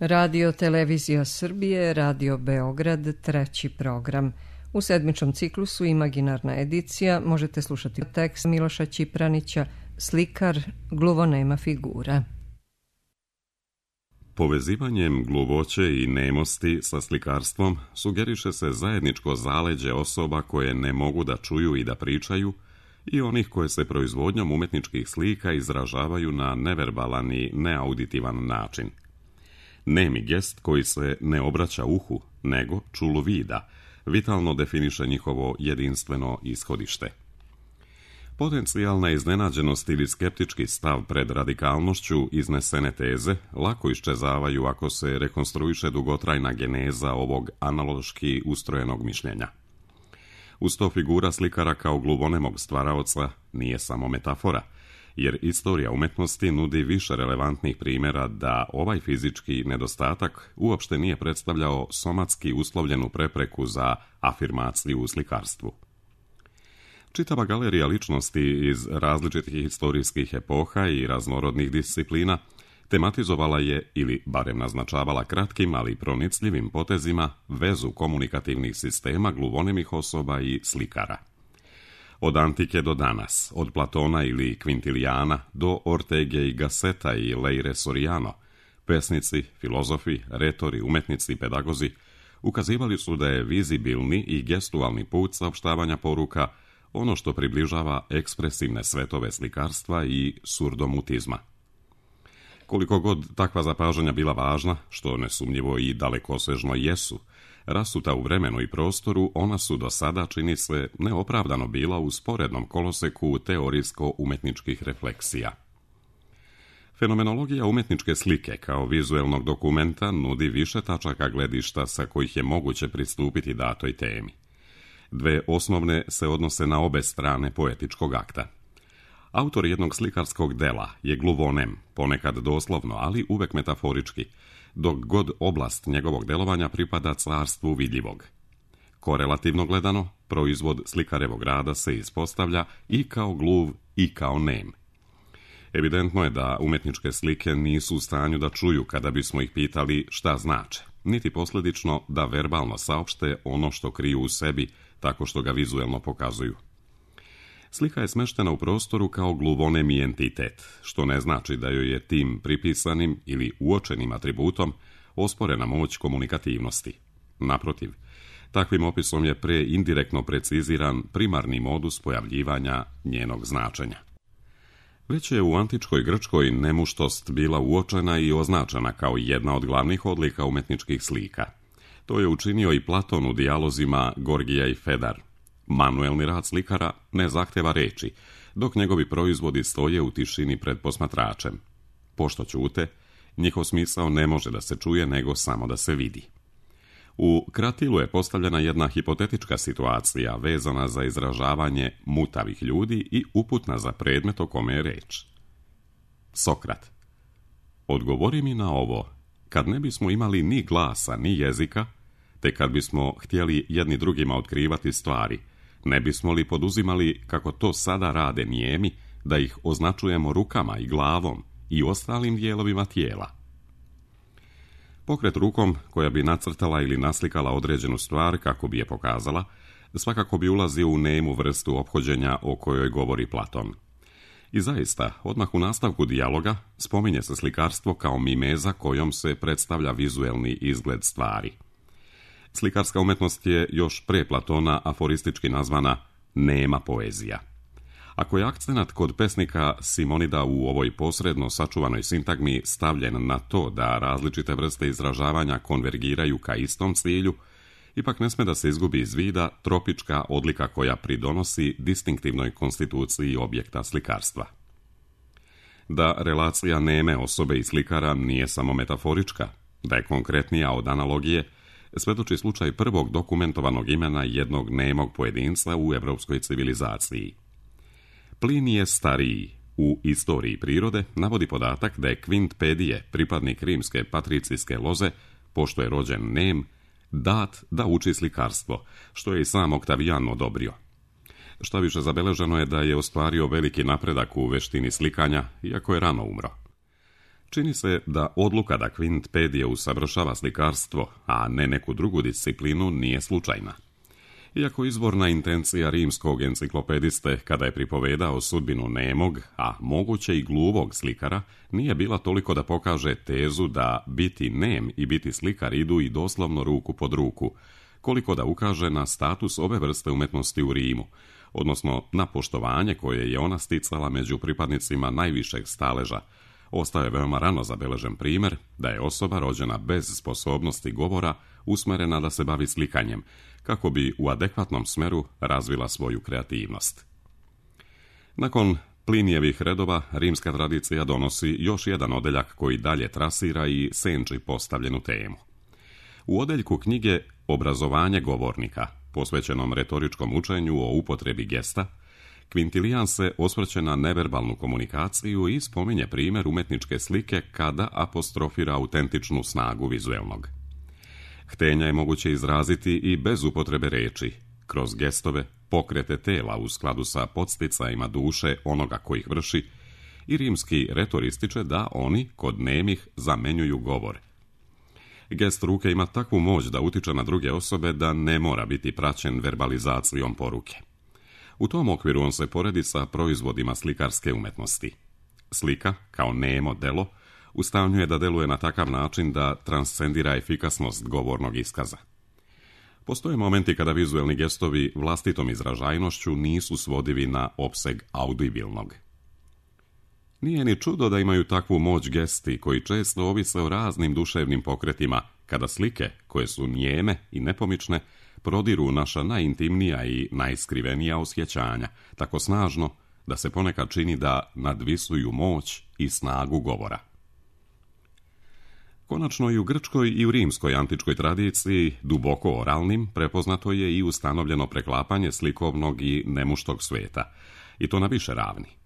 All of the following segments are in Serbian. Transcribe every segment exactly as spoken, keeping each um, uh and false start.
Radio Televizija Srbije, Radio Beograd, treći program. U sedmičnom ciklusu Imaginarna edicija možete slušati tekst Miloša Ćipranića, Slikar, gluvonema figura. Povezivanjem gluvoće i nemosti sa slikarstvom sugeriše se zajedničko zaleđe osoba koje ne mogu da čuju i da pričaju i onih koje se proizvodnjom umetničkih slika izražavaju na neverbalan i neauditivan način. Nemi gest koji se ne obraća uhu, nego čulu vida, vitalno definiše njihovo jedinstveno ishodište. Potencijalna iznenađenost ili skeptički stav pred radikalnošću iznesene teze lako iščezavaju ako se rekonstruiše dugotrajna geneza ovog analoški ustrojenog mišljenja. Uz to figura slikara kao gluvonemog stvaraoca nije samo metafora, jer istorija umetnosti nudi više relevantnih primjera da ovaj fizički nedostatak uopšte nije predstavljao somatski uslovljenu prepreku za afirmaciju u slikarstvu. Čitava galerija ličnosti iz različitih historijskih epoha i raznorodnih disciplina tematizovala je, ili barem naznačavala kratkim, ali pronicljivim potezima, vezu komunikativnih sistema gluvonemih osoba i slikara. Od antike do danas, od Platona ili Quintiliana do Ortege i Gasseta i Leire Soriano, pesnici, filozofi, retori, umetnici i pedagozi ukazivali su da je vizibilni i gestualni put saopštavanja poruka ono što približava ekspresivne svetove slikarstva i surdomutizma. Koliko god takva zapažanja bila važna, što nesumnjivo i dalekosežno jesu, rasuta u vremenu i prostoru, ona su do sada, čini se, neopravdano bila u sporednom koloseku teorijsko-umetničkih refleksija. Fenomenologija umetničke slike kao vizuelnog dokumenta nudi više tačaka gledišta sa kojih je moguće pristupiti datoj temi. Dve osnovne se odnose na obe strane poetičkog akta. Autor jednog slikarskog dela je gluvonem, ponekad doslovno, ali uvek metaforički, dok god oblast njegovog delovanja pripada carstvu vidljivog. Korelativno gledano, proizvod slikarevog rada se ispostavlja i kao gluv i kao nem. Evidentno je da umetničke slike nisu u stanju da čuju kada bismo ih pitali šta znače, niti posljedično da verbalno saopšte ono što kriju u sebi tako što ga vizuelno pokazuju. Slika je smeštena u prostoru kao gluvonemi entitet, što ne znači da joj je tim pripisanim ili uočenim atributom osporena moć komunikativnosti. Naprotiv, takvim opisom je pre indirektno preciziran primarni modus pojavljivanja njenog značenja. Već je u antičkoj Grčkoj nemuštost bila uočena i označena kao jedna od glavnih odlika umetničkih slika. To je učinio i Platon u dijalozima Gorgija i Fedar. Manuelni rad slikara ne zahteva reči, dok njegovi proizvodi stoje u tišini pred posmatračem. Pošto ćute, njihov smisao ne može da se čuje, nego samo da se vidi. U Kratilu je postavljena jedna hipotetička situacija vezana za izražavanje mutavih ljudi i uputna za predmet o kome je reč. Sokrat: odgovori mi na ovo, kad ne bismo imali ni glasa, ni jezika, te kad bismo htjeli jedni drugima otkrivati stvari, ne bismo li poduzimali, kako to sada rade nijemi, da ih označujemo rukama i glavom i ostalim dijelovima tijela? Pokret rukom koja bi nacrtala ili naslikala određenu stvar kako bi je pokazala, svakako bi ulazio u nemu vrstu ophođenja o kojoj govori Platon. I zaista, odmah u nastavku dijaloga spominje se slikarstvo kao mimeza kojom se predstavlja vizuelni izgled stvari. Slikarska umetnost je još pre Platona aforistički nazvana nema poezija. Ako je akcenat kod pesnika Simonida u ovoj posredno sačuvanoj sintagmi stavljen na to da različite vrste izražavanja konvergiraju ka istom cilju, ipak ne sme da se izgubi iz vida tropička odlika koja pridonosi distinktivnoj konstituciji objekta slikarstva. Da relacija neme osobe i slikara nije samo metaforička, da je konkretnija od analogije, svedoči slučaj prvog dokumentovanog imena jednog nemog pojedinca u evropskoj civilizaciji. Plinije Stariji u Istoriji prirode navodi podatak da je Kvint Pedije, pripadnik rimske patricijske loze, pošto je rođen nem, dat da uči slikarstvo, što je i sam Oktavijan odobrio. Šta više, zabeleženo je da je ostvario veliki napredak u veštini slikanja, iako je rano umro. Čini se da odluka da Quint Pedije usavršava slikarstvo, a ne neku drugu disciplinu, nije slučajna. Iako izvorna intencija rimskog enciklopediste, kada je pripovedao sudbinu nemog, a moguće i gluvog slikara, nije bila toliko da pokaže tezu da biti nem i biti slikar idu i doslovno ruku pod ruku, koliko da ukaže na status ove vrste umetnosti u Rimu, odnosno na poštovanje koje je ona sticala među pripadnicima najvišeg staleža. Ostao je veoma rano zabeležen primjer da je osoba rođena bez sposobnosti govora usmerena da se bavi slikanjem, kako bi u adekvatnom smeru razvila svoju kreativnost. Nakon Plinijevih redova, rimska tradicija donosi još jedan odeljak koji dalje trasira i senči postavljenu temu. U odeljku knjige Obrazovanje govornika, posvećenom retoričkom učenju o upotrebi gesta, Quintilijan se osvrće na neverbalnu komunikaciju i spominje primjer umetničke slike kada apostrofira autentičnu snagu vizuelnog. Htenja je moguće izraziti i bez upotrebe reči, kroz gestove, pokrete tela u skladu sa podsticajima duše onoga koji ih vrši, i rimski retor ističe da oni, kod nemih, zamenjuju govor. Gest ruke ima takvu moć da utiče na druge osobe da ne mora biti praćen verbalizacijom poruke. U tom okviru on se poredi sa proizvodima slikarske umetnosti. Slika, kao nemo delo, u stanju je da deluje na takav način da transcendira efikasnost govornog iskaza. Postoje momenti kada vizuelni gestovi vlastitom izražajnošću nisu svodivi na opseg audibilnog. Nije ni čudo da imaju takvu moć gesti koji često ovise o raznim duševnim pokretima, kada slike, koje su njeme i nepomične, prodiru naša najintimnija i najskrivenija osjećanja, tako snažno da se ponekad čini da nadvisuju moć i snagu govora. Konačno i u grčkoj i u rimskoj antičkoj tradiciji, duboko oralnim, prepoznato je i ustanovljeno preklapanje slikovnog i nemuštog sveta, i to na više ravni.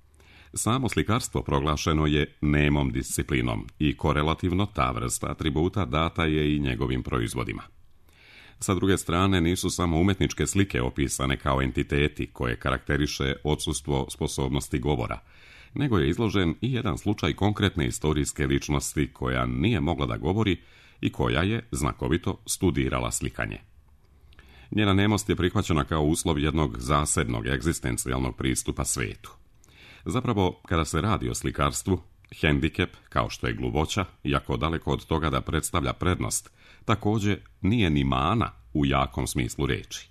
Samo slikarstvo proglašeno je nemom disciplinom i korelativno ta vrsta atributa data je i njegovim proizvodima. Sa druge strane, nisu samo umetničke slike opisane kao entiteti koje karakteriše odsustvo sposobnosti govora, nego je izložen i jedan slučaj konkretne istorijske ličnosti koja nije mogla da govori i koja je znakovito studirala slikanje. Njena nemost je prihvaćena kao uslov jednog zasebnog egzistencijalnog pristupa svetu. Zapravo, kada se radi o slikarstvu, hendikep, kao što je gluvoća, iako daleko od toga da predstavlja prednost, također nije ni mana u jakom smislu reči.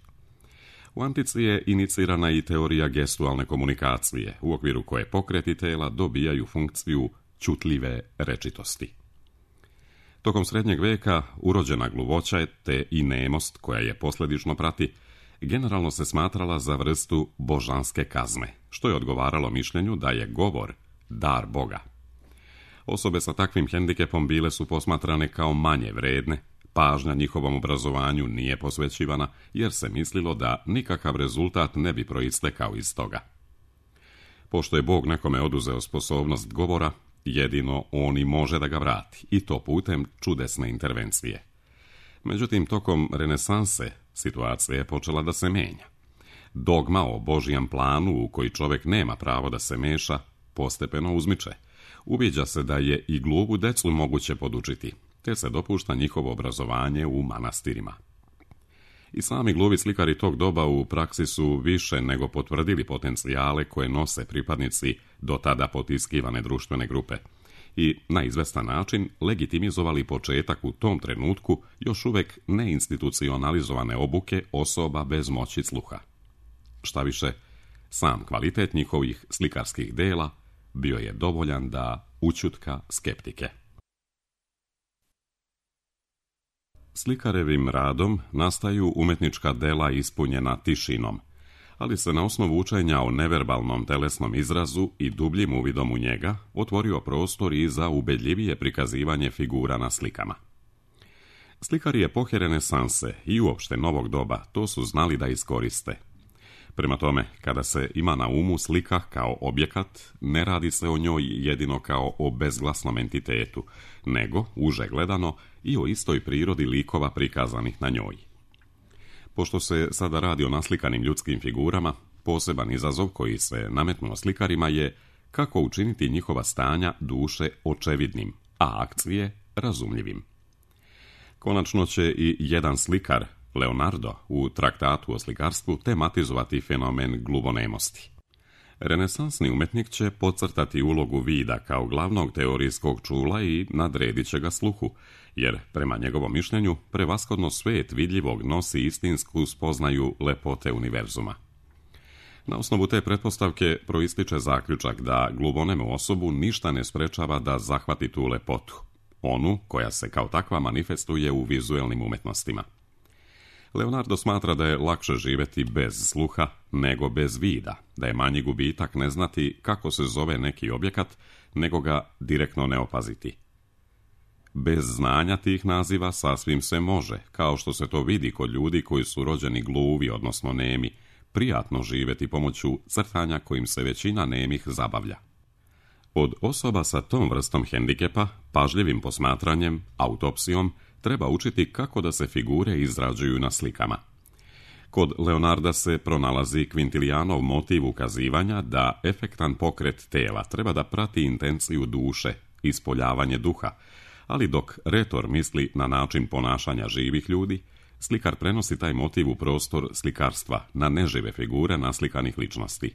U antici je inicirana i teorija gestualne komunikacije, u okviru koje pokreti tela dobijaju funkciju čutljive rečitosti. Tokom srednjeg veka urođena gluvoća te i nemost koja je posljedično prati, generalno se smatrala za vrstu božanske kazne, što je odgovaralo mišljenju da je govor dar Boga. Osobe sa takvim hendikepom bile su posmatrane kao manje vredne, pažnja njihovom obrazovanju nije posvećivana jer se mislilo da nikakav rezultat ne bi proistekao iz toga. Pošto je Bog nekome oduzeo sposobnost govora, jedino on i može da ga vrati, i to putem čudesne intervencije. Međutim, tokom renesanse situacija je počela da se menja. Dogma o Božijem planu u koji čovjek nema pravo da se meša postepeno uzmiče. Uviđa se da je i gluvu decu moguće podučiti, te se dopušta njihovo obrazovanje u manastirima. I sami gluvi slikari tog doba u praksi su više nego potvrdili potencijale koje nose pripadnici do tada potiskivane društvene grupe i na izvestan način legitimizovali početak u tom trenutku još uvek neinstitucionalizovane obuke osoba bez moći sluha. Šta više, sam kvalitet njihovih slikarskih dela bio je dovoljan da ućutka skeptike. Slikarevim radom nastaju umetnička dela ispunjena tišinom, ali se na osnovu učenja o neverbalnom telesnom izrazu i dubljim uvidom u njega otvorio prostor i za ubedljivije prikazivanje figura na slikama. Slikari epohe renesanse i uopšte novog doba to su znali da iskoriste. Prema tome, kada se ima na umu slika kao objekat, ne radi se o njoj jedino kao o bezglasnom entitetu, nego, uže gledano, i o istoj prirodi likova prikazanih na njoj. Pošto se sada radi o naslikanim ljudskim figurama, poseban izazov koji se nametnuo slikarima je kako učiniti njihova stanja duše očevidnim, a akcije razumljivim. Konačno će i jedan slikar, Leonardo, u traktatu o slikarstvu tematizovati fenomen gluvonemosti. Renesansni umjetnik će podcrtati ulogu vida kao glavnog teorijskog čula i nadredit će ga sluhu, jer, prema njegovom mišljenju, prevashodno svijet vidljivog nosi istinsku spoznaju lepote univerzuma. Na osnovu te pretpostavke proističe zaključak da gluvonemu osobu ništa ne sprečava da zahvati tu lepotu, onu koja se kao takva manifestuje u vizuelnim umjetnostima. Leonardo smatra da je lakše živjeti bez sluha nego bez vida, da je manji gubitak ne znati kako se zove neki objekat, nego ga direktno ne opaziti. Bez znanja tih naziva sasvim se može, kao što se to vidi kod ljudi koji su rođeni gluvi, odnosno nemi, prijatno živjeti pomoću crtanja kojim se većina nemih zabavlja. Od osoba sa tom vrstom hendikepa, pažljivim posmatranjem, autopsijom, treba učiti kako da se figure izrađuju na slikama. Kod Leonarda se pronalazi Quintilianov motiv ukazivanja da efektan pokret tela treba da prati intenciju duše, ispoljavanje duha, ali dok retor misli na način ponašanja živih ljudi, slikar prenosi taj motiv u prostor slikarstva na nežive figure naslikanih ličnosti.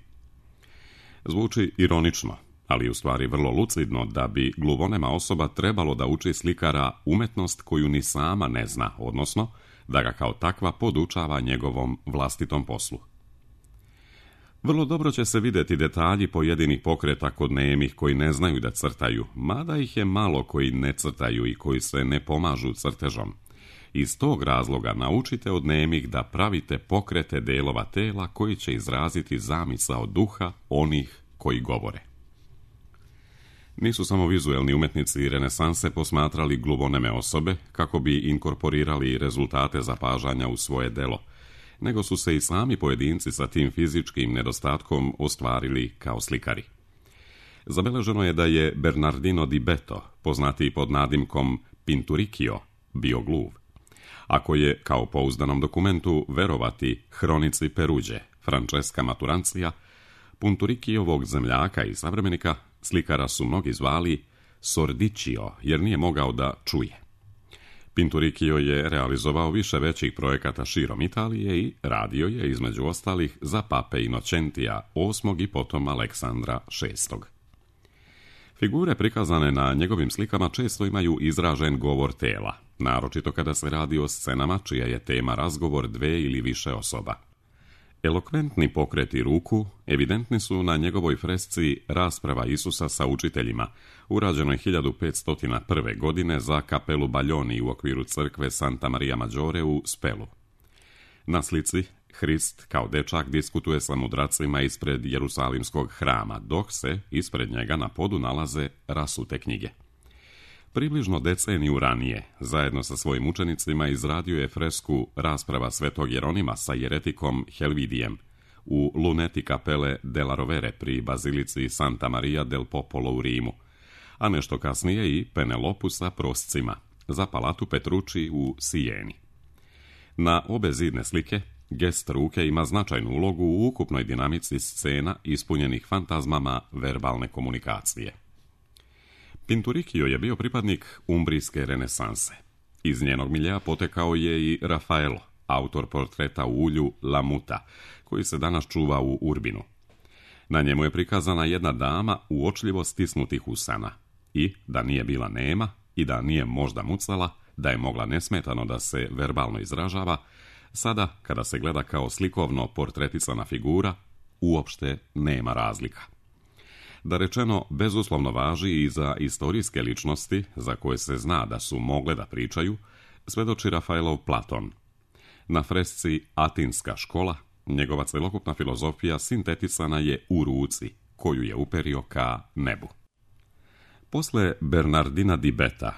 Zvuči ironično, ali u stvari vrlo lucidno da bi gluvonema osoba trebalo da uči slikara umetnost koju ni sama ne zna, odnosno da ga kao takva podučava njegovom vlastitom poslu. Vrlo dobro će se vidjeti detalji pojedinih pokreta kod nemih koji ne znaju da crtaju, mada ih je malo koji ne crtaju i koji se ne pomažu crtežom. Iz tog razloga naučite od nemih da pravite pokrete delova tela koji će izraziti zamisao duha onih koji govore. Nisu samo vizuelni umjetnici renesanse posmatrali gluvoneme osobe kako bi inkorporirali rezultate zapažanja u svoje delo, nego su se i sami pojedinci sa tim fizičkim nedostatkom ostvarili kao slikari. Zabeleženo je da je Bernardino di Beto, poznatiji pod nadimkom Pinturicchio, bio gluv. Ako je, kao pouzdanom dokumentu, verovati hronici Peruđe, Francesca Maturancija, Pinturicchiovog zemljaka i savremenika, slikara su mnogi zvali Sordicchio, jer nije mogao da čuje. Pinturicchio je realizovao više većih projekata širom Italije i radio je, između ostalih, za pape Inocentija osmog i potom Aleksandra šestog. Figure prikazane na njegovim slikama često imaju izražen govor tela, naročito kada se radi o scenama čija je tema razgovor dve ili više osoba. Elokventni pokreti ruku evidentni su na njegovoj fresci Rasprava Isusa sa učiteljima, urađenoj hiljadu petsto prve. godine za kapelu Baljoni u okviru crkve Santa Maria Maggiore u Spelu. Na slici Hrist kao dečak diskutuje sa mudracima ispred Jerusalimskog hrama, dok se ispred njega na podu nalaze rasute knjige. Približno deceniju ranije, zajedno sa svojim učenicima, izradio je fresku Rasprava svetog Jeronima sa jeretikom Helvidijem u luneti kapele della Rovere pri bazilici Santa Maria del Popolo u Rimu, a nešto kasnije i Penelopu sa proscima za palatu Petrucci u Sijeni. Na obe zidne slike gest ruke ima značajnu ulogu u ukupnoj dinamici scena ispunjenih fantazmama verbalne komunikacije. Pinturicchio je bio pripadnik umbrijske renesanse. Iz njenog miljea potekao je i Raffaello, autor portreta u ulju La Muta, koji se danas čuva u Urbinu. Na njemu je prikazana jedna dama uočljivo stisnutih usana i da nije bila nema i da nije možda mucala, da je mogla nesmetano da se verbalno izražava, sada, kada se gleda kao slikovno portretisana figura, uopšte nema razlika. Da rečeno, bezuslovno važi i za istorijske ličnosti, za koje se zna da su mogle da pričaju, svedoči Rafaelov Platon. Na fresci Atinska škola, njegova celokupna filozofija sintetisana je u ruci, koju je uperio ka nebu. Posle Bernardina di Beta,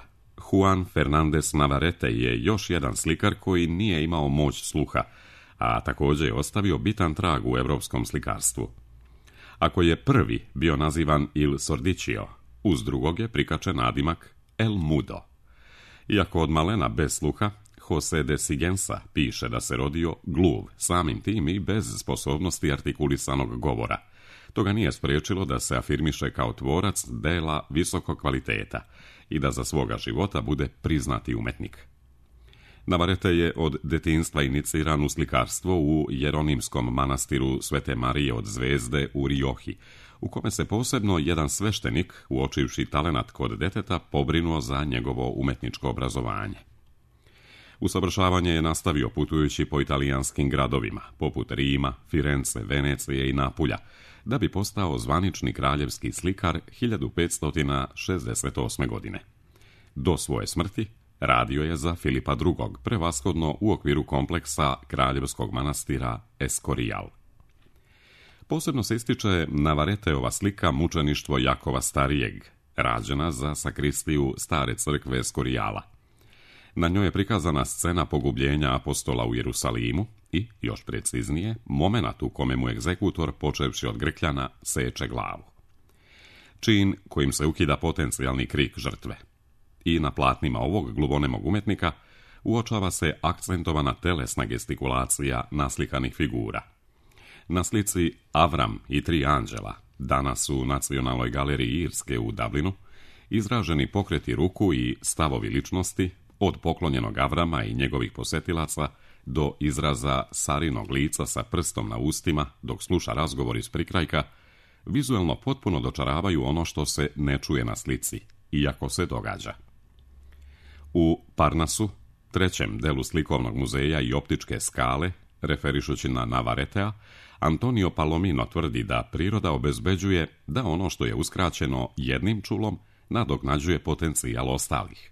Juan Fernández Navarrete je još jedan slikar koji nije imao moć sluha, a također je ostavio bitan trag u evropskom slikarstvu. Ako je prvi bio nazivan Il Sordicchio, uz drugog je prikačen nadimak El Mudo. Iako od malena bez sluha, José de Sigensa piše da se rodio gluv, samim tim i bez sposobnosti artikulisanog govora. To ga nije spriječilo da se afirmiše kao tvorac dela visokog kvaliteta i da za svoga života bude priznati umetnik. Navarrete je od detinjstva iniciran u slikarstvo u Jeronimskom manastiru Svete Marije od Zvezde u Rioji, u kome se posebno jedan sveštenik, uočivši talenat kod deteta, pobrinuo za njegovo umetničko obrazovanje. Usavršavanje je nastavio putujući po italijanskim gradovima, poput Rima, Firence, Venecije i Napulja, da bi postao zvanični kraljevski slikar hiljadu petsto šezdeset osme. godine. Do svoje smrti radio je za Filipa drugog, prevashodno u okviru kompleksa kraljevskog manastira Escorial. Posebno se ističe Navarreteova slika Mučeništvo Jakova Starijeg, rađena za sakristiju stare crkve Escoriala. Na njoj je prikazana scena pogubljenja apostola u Jerusalimu i, još preciznije, momenat u kome mu egzekutor, počevši od grkljana, seče glavu. Čin kojim se ukida potencijalni krik žrtve. I na platnima ovog gluvonemog umetnika uočava se akcentovana telesna gestikulacija naslikanih figura. Na slici Avram i tri anđela, danas u Nacionalnoj galeriji Irske u Dublinu, izraženi pokreti ruku i stavovi ličnosti, od poklonjenog Avrama i njegovih posetilaca do izraza Sarinog lica sa prstom na ustima dok sluša razgovor iz prikrajka, vizuelno potpuno dočaravaju ono što se ne čuje na slici, iako se događa. U Parnasu, trećem delu slikovnog muzeja i optičke skale, referišući na Navarretea, Antonio Palomino tvrdi da priroda obezbeđuje da ono što je uskraćeno jednim čulom nadoknađuje potencijal ostalih.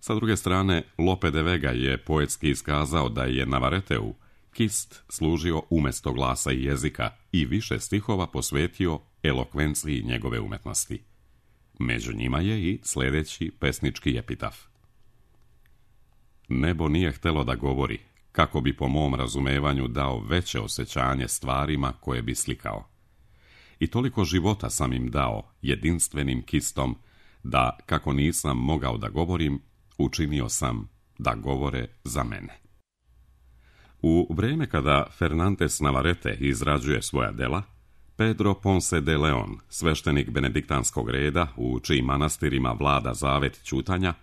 Sa druge strane, Lope de Vega je poetski iskazao da je Navarreteu kist služio umjesto glasa i jezika i više stihova posvetio elokvenciji njegove umetnosti. Među njima je i sljedeći pesnički epitaf. Nebo nije htelo da govori, kako bi po mom razumevanju dao veće osjećanje stvarima koje bi slikao. I toliko života sam im dao jedinstvenim kistom, da, kako nisam mogao da govorim, učinio sam da govore za mene. U vrijeme kada Fernandes Navarrete izrađuje svoja dela, Pedro Ponce de Leon, sveštenik benediktanskog reda, u čijim manastirima vlada zavet ćutanja,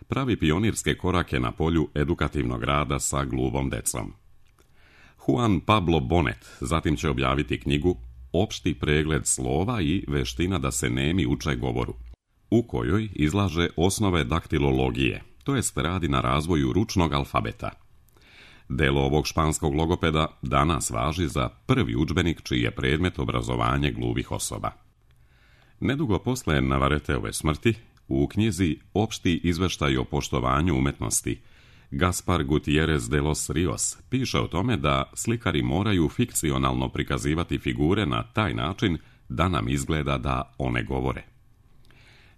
pravi pionirske korake na polju edukativnog rada sa gluvom decom. Juan Pablo Bonet zatim će objaviti knjigu Opšti pregled slova i veština da se nemi uče govoru, u kojoj izlaže osnove daktilologije, to jest radi na razvoju ručnog alfabeta. Delo ovog španskog logopeda danas važi za prvi udžbenik čiji je predmet obrazovanje gluvih osoba. Nedugo posle Navarreteove smrti, u knjizi Opšti izveštaj o poštovanju umetnosti, Gaspar Gutierrez de los Rios piše o tome da slikari moraju fikcionalno prikazivati figure na taj način da nam izgleda da one govore.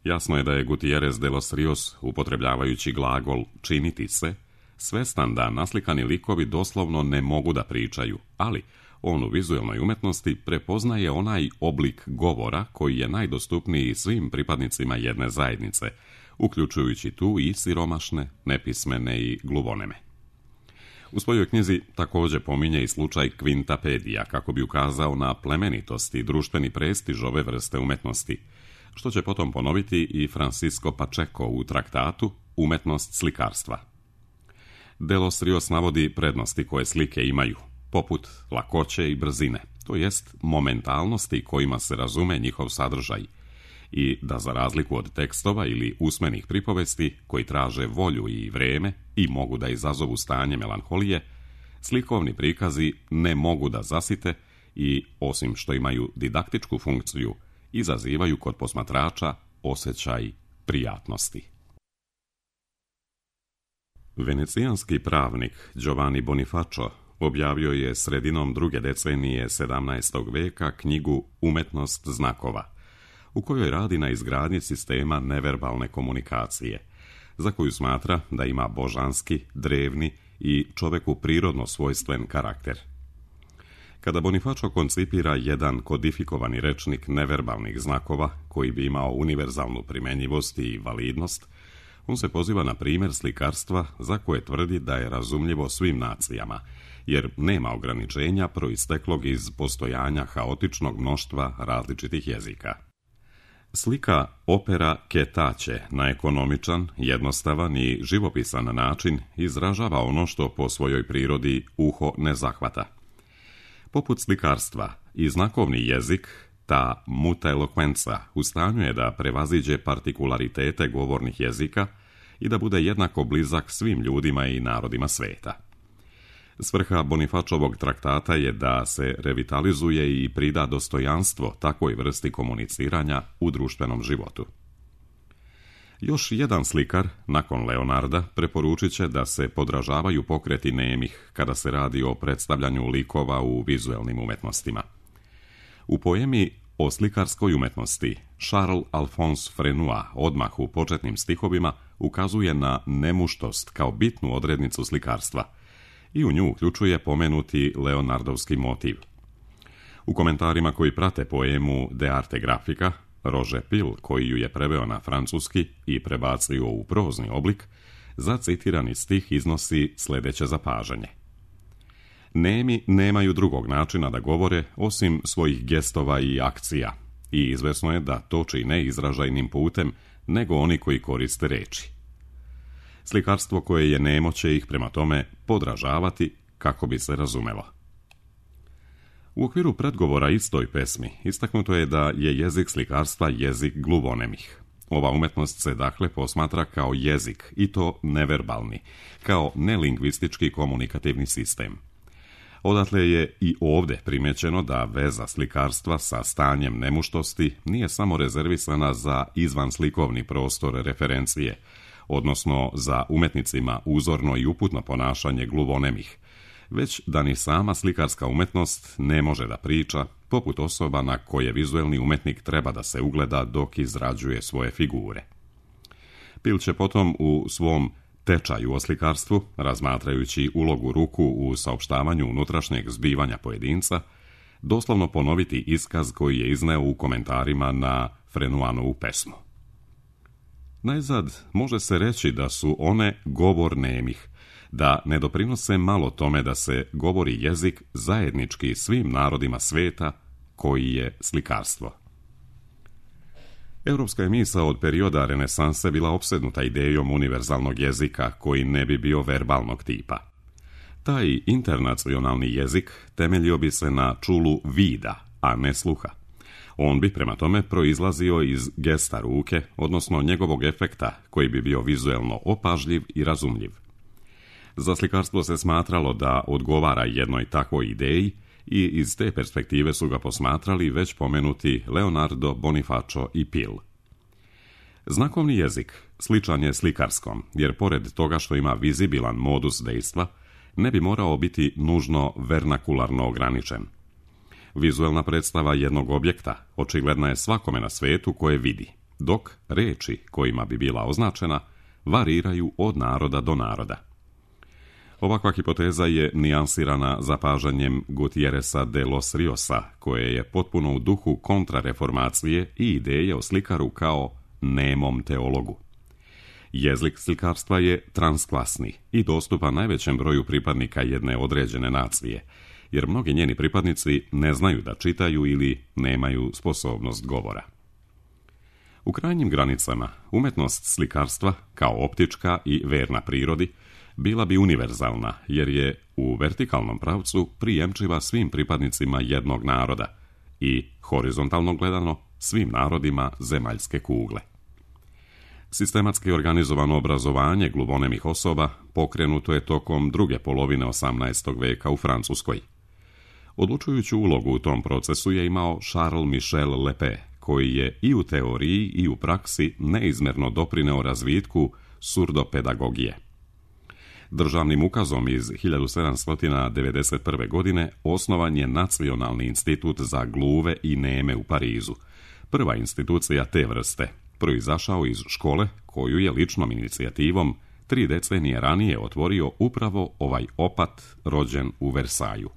Jasno je da je Gutierrez de los Rios, upotrebljavajući glagol činiti se, svestan da naslikani likovi doslovno ne mogu da pričaju, ali on u vizualnoj umetnosti prepoznaje onaj oblik govora koji je najdostupniji svim pripadnicima jedne zajednice, uključujući tu i siromašne, nepismene i gluvoneme. U svojoj knjizi također pominje i slučaj Quintapedija kako bi ukazao na plemenitost i društveni prestiž ove vrste umetnosti, što će potom ponoviti i Francisco Pacheco u traktatu Umetnost slikarstva. De los Rios navodi prednosti koje slike imaju, poput lakoće i brzine, to jest momentalnosti kojima se razume njihov sadržaj, i da za razliku od tekstova ili usmenih pripovesti koji traže volju i vreme i mogu da izazovu stanje melanholije, slikovni prikazi ne mogu da zasite i, osim što imaju didaktičku funkciju, izazivaju kod posmatrača osjećaj prijatnosti. Venecijanski pravnik Giovanni Bonifacio objavio je sredinom druge decenije sedamnaestog veka knjigu Umetnost znakova, u kojoj radi na izgradnji sistema neverbalne komunikacije, za koju smatra da ima božanski, drevni i čoveku prirodno svojstven karakter. Kada Bonifacio koncipira jedan kodifikovani rečnik neverbalnih znakova koji bi imao univerzalnu primenjivost i validnost, on se poziva na primjer slikarstva za koje tvrdi da je razumljivo svim nacijama jer nema ograničenja proisteklog iz postojanja haotičnog mnoštva različitih jezika. Slika opera Ketaće na ekonomičan, jednostavan i živopisan način izražava ono što po svojoj prirodi uho ne zahvata. Poput slikarstva i znakovni jezik, ta muta elokvenca u stanju je da prevaziđe partikularitete govornih jezika i da bude jednako blizak svim ljudima i narodima sveta. Svrha Bonifačovog traktata je da se revitalizuje i prida dostojanstvo takvoj vrsti komuniciranja u društvenom životu. Još jedan slikar, nakon Leonarda, preporučit će da se podražavaju pokreti nemih kada se radi o predstavljanju likova u vizuelnim umetnostima. U poemi o slikarskoj umetnosti Charles Alphonse Frenua odmah u početnim stihovima ukazuje na nemuštost kao bitnu odrednicu slikarstva i u nju uključuje pomenuti Leonardovski motiv. U komentarima koji prate poemu De arte grafica, Roger Pil, koji ju je preveo na francuski i prebacio u prozni oblik, za citirani stih iznosi sljedeće zapažanje. Nemi nemaju drugog načina da govore osim svojih gestova i akcija i izvesno je da to čine izražajnim putem nego oni koji koriste reči. Slikarstvo koje je nemo će ih prema tome podražavati kako bi se razumelo. U okviru predgovora istoj pesmi istaknuto je da je jezik slikarstva jezik gluvonemih. Ova umetnost se dakle posmatra kao jezik, i to neverbalni, kao nelingvistički komunikativni sistem. Odatle je i ovdje primećeno da veza slikarstva sa stanjem nemuštosti nije samo rezervisana za izvanslikovni prostor referencije, odnosno za umetnicima uzorno i uputno ponašanje gluvonemih, već da ni sama slikarska umetnost ne može da priča, poput osoba na koje vizuelni umetnik treba da se ugleda dok izrađuje svoje figure. Pil će potom u svom tečaju o slikarstvu, razmatrajući ulogu ruku u saopštavanju unutrašnjeg zbivanja pojedinca, doslovno ponoviti iskaz koji je izneo u komentarima na Frenuanovu pesmu. Najzad može se reći da su one govor nemih, da ne doprinose malo tome da se govori jezik zajednički svim narodima sveta koji je slikarstvo. Europska je misao od perioda renesanse bila opsednuta idejom univerzalnog jezika koji ne bi bio verbalnog tipa. Taj internacionalni jezik temeljio bi se na čulu vida, a ne sluha. On bi prema tome proizlazio iz gesta ruke, odnosno njegovog efekta koji bi bio vizuelno opažljiv i razumljiv. Za slikarstvo se smatralo da odgovara jednoj takvoj ideji i iz te perspektive su ga posmatrali već pomenuti Leonardo, Bonifacio i Pil. Znakovni jezik sličan je slikarskom, jer pored toga što ima vizibilan modus dejstva, ne bi morao biti nužno vernakularno ograničen. Vizuelna predstava jednog objekta očigledna je svakome na svetu koje vidi, dok reči kojima bi bila označena variraju od naroda do naroda. Ovakva hipoteza je nijansirana zapažanjem Gutierreza de los Riosa, koje je potpuno u duhu kontrareformacije i ideje o slikaru kao nemom teologu. Jezik slikarstva je transklasni i dostupan najvećem broju pripadnika jedne određene nacije, jer mnogi njeni pripadnici ne znaju da čitaju ili nemaju sposobnost govora. U krajnjim granicama, umetnost slikarstva, kao optička i verna prirodi, bila bi univerzalna, jer je u vertikalnom pravcu prijemčiva svim pripadnicima jednog naroda i, horizontalno gledano, svim narodima zemaljske kugle. Sistematski organizovano obrazovanje gluvonemih osoba pokrenuto je tokom druge polovine osamnaestog veka u Francuskoj. Odlučujuću ulogu u tom procesu je imao Charles Michel Lepé, koji je i u teoriji i u praksi neizmjerno doprineo razvitku surdopedagogije. Državnim ukazom iz hiljadu sedamsto devedeset prve. godine osnovan je Nacionalni institut za gluve i neme u Parizu, prva institucija te vrste, proizašao iz škole koju je ličnom inicijativom tri decenije ranije otvorio upravo ovaj opat rođen u Versaju.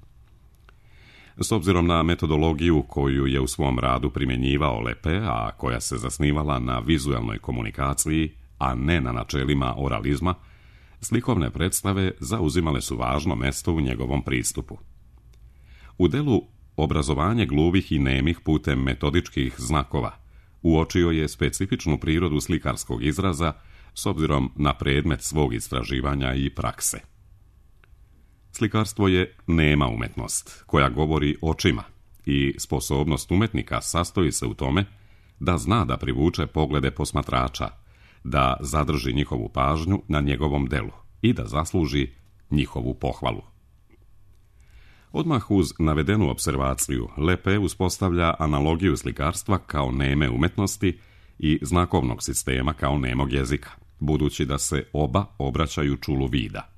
S obzirom na metodologiju koju je u svom radu primjenjivao Lepé, a koja se zasnivala na vizuelnoj komunikaciji, a ne na načelima oralizma, Slikovne predstave zauzimale su važno mesto u njegovom pristupu. U delu Obrazovanje gluvih i nemih putem metodičkih znakova uočio je specifičnu prirodu slikarskog izraza s obzirom na predmet svog istraživanja i prakse. Slikarstvo je nema umetnost koja govori očima i sposobnost umetnika sastoji se u tome da zna da privuče poglede posmatrača, da zadrži njihovu pažnju na njegovom delu i da zasluži njihovu pohvalu. Odmah uz navedenu observaciju Lepe uspostavlja analogiju slikarstva kao neme umetnosti i znakovnog sistema kao nemog jezika, budući da se oba obraćaju čulu vida.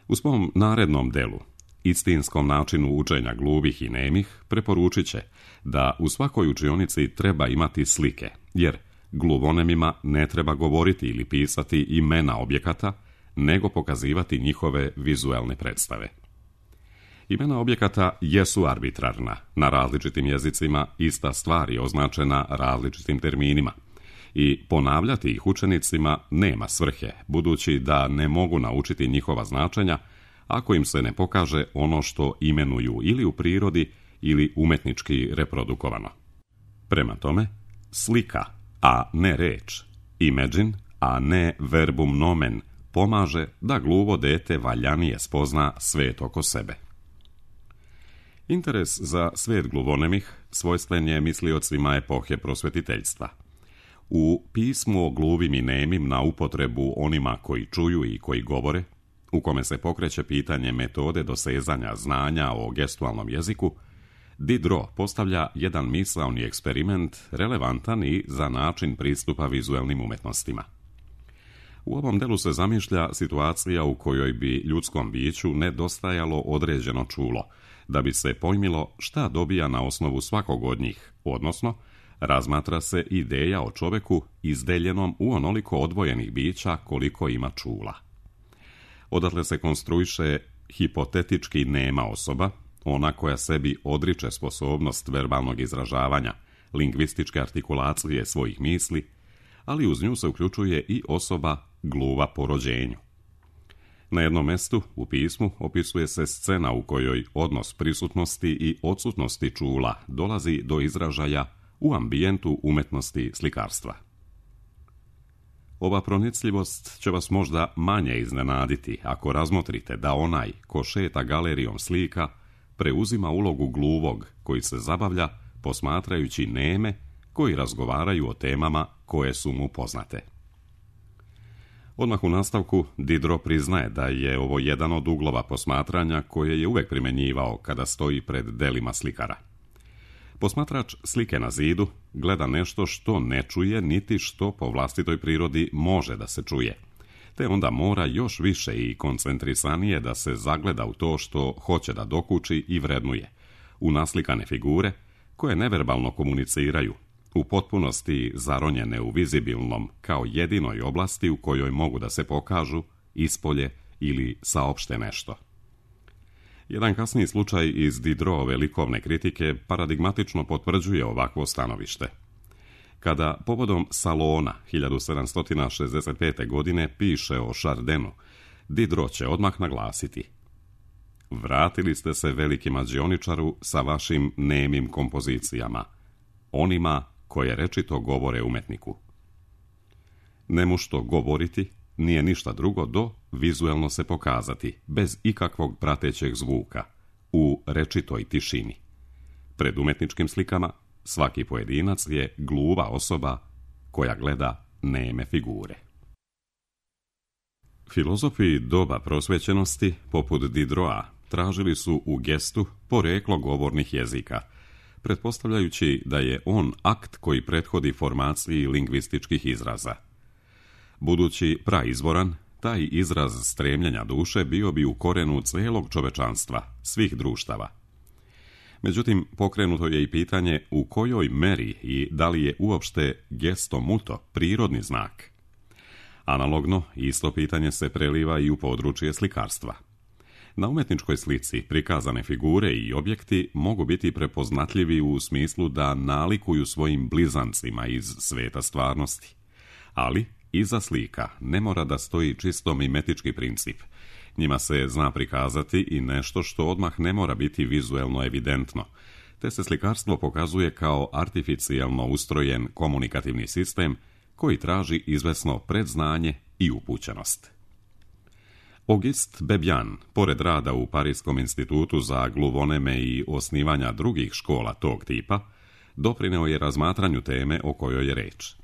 U svom narednom delu, istinskom načinu učenja gluvih i nemih, preporučit će da u svakoj učionici treba imati slike, jer gluvonemima ne treba govoriti ili pisati imena objekata, nego pokazivati njihove vizualne predstave. Imena objekata jesu arbitrarna, na različitim jezicima ista stvar je označena različitim terminima i ponavljati ih učenicima nema svrhe, budući da ne mogu naučiti njihova značenja ako im se ne pokaže ono što imenuju ili u prirodi ili umetnički reprodukovano. Prema tome, slika, a ne reč, imagine, a ne verbum nomen, pomaže da gluvo dete valjanije spozna svet oko sebe. Interes za svijet gluvonemih svojstven je misliocima epohe prosvetiteljstva. U pismu o gluvim i nemim na upotrebu onima koji čuju i koji govore, u kome se pokreće pitanje metode dosezanja znanja o gestualnom jeziku, Diderot postavlja jedan misaoni eksperiment relevantan i za način pristupa vizuelnim umetnostima. U ovom delu se zamišlja situacija u kojoj bi ljudskom biću nedostajalo određeno čulo, da bi se pojmilo šta dobija na osnovu svakog od njih, odnosno razmatra se ideja o čoveku izdeljenom u onoliko odvojenih bića koliko ima čula. Odatle se konstruiše hipotetički nema osoba, ona koja sebi odriče sposobnost verbalnog izražavanja, lingvističke artikulacije svojih misli, ali uz nju se uključuje i osoba gluva po rođenju. Na jednom mestu u pismu opisuje se scena u kojoj odnos prisutnosti i odsutnosti čula dolazi do izražaja u ambijentu umetnosti slikarstva. Ova pronicljivost će vas možda manje iznenaditi ako razmotrite da onaj ko šeta galerijom slika preuzima ulogu gluvog koji se zabavlja posmatrajući neme koji razgovaraju o temama koje su mu poznate. Odmah u nastavku Diderot priznaje da je ovo jedan od uglova posmatranja koje je uvek primjenjivao kada stoji pred delima slikara. Posmatrač slike na zidu gleda nešto što ne čuje niti što po vlastitoj prirodi može da se čuje, te onda mora još više i koncentrisanije da se zagleda u to što hoće da dokuči i vrednuje, u naslikane figure koje neverbalno komuniciraju, u potpunosti zaronjene u vizibilnom kao jedinoj oblasti u kojoj mogu da se pokažu, ispolje ili saopšte nešto. Jedan kasniji slučaj iz Diderotove likovne kritike paradigmatično potvrđuje ovakvo stanovište. Kada povodom Salona hiljadu sedamsto šezdeset pete. godine piše o Chardinu, Diderot će odmah naglasiti: vratili ste se veliki mađioničaru sa vašim nemim kompozicijama, onima koje rečito govore umetniku. Nemušto govoriti nije ništa drugo do vizuelno se pokazati, bez ikakvog pratećeg zvuka, u rečitoj tišini. Pred umetničkim slikama svaki pojedinac je gluva osoba koja gleda neme figure. Filozofi doba prosvećenosti, poput Diderota, tražili su u gestu poreklo govornih jezika, pretpostavljajući da je on akt koji prethodi formaciji lingvističkih izraza. Budući praizvoran, taj izraz stremljenja duše bio bi u korenu celog čovečanstva, svih društava. Međutim, pokrenuto je i pitanje u kojoj meri i da li je uopšte gesto muto prirodni znak. Analogno, isto pitanje se preliva i u područje slikarstva. Na umetničkoj slici prikazane figure i objekti mogu biti prepoznatljivi u smislu da nalikuju svojim blizancima iz sveta stvarnosti, ali iza slika ne mora da stoji čisto mimetički princip. Njima se zna prikazati i nešto što odmah ne mora biti vizuelno evidentno, te se slikarstvo pokazuje kao artificijelno ustrojen komunikativni sistem koji traži izvesno predznanje i upućenost. Auguste Bebian, pored rada u Parijskom institutu za gluvoneme i osnivanja drugih škola tog tipa, doprineo je razmatranju teme o kojoj je reč.